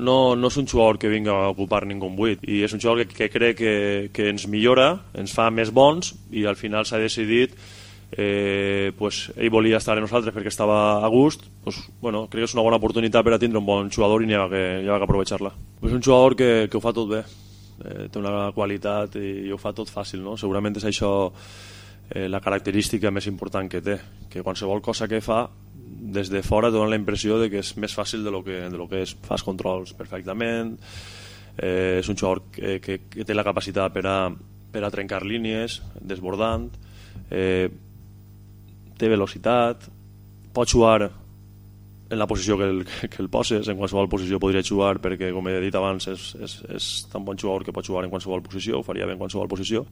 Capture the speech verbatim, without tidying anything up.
no, no és un jugador que vinga a ocupar ningú buit, i és un jugador que, que crec que, que ens millora, ens fa més bons, i al final s'ha decidit eh, pues, ell volia estar amb nosaltres perquè estava a gust, pues, bueno, crec que és una bona oportunitat per a tindre un bon jugador i n'hi ha que, hi ha que aprovechar-la. És un jugador que, que ho fa tot bé, eh, té una qualitat i, i ho fa tot fàcil, no? Segurament és això eh, la característica més important que té, que qualsevol cosa que fa des de fora dona la impressió de que és més fàcil de lo que, de lo que és. Fas controls perfectament, eh, és un jugador que, que, que té la capacitat per a, per a trencar línies, desbordant, eh, té velocitat, pot jugar en la posició que el, que el poses, en qualsevol posició podria jugar perquè, com he dit abans, és, és, és tan bon jugador que pot jugar en qualsevol posició, ho faria bé en qualsevol posició.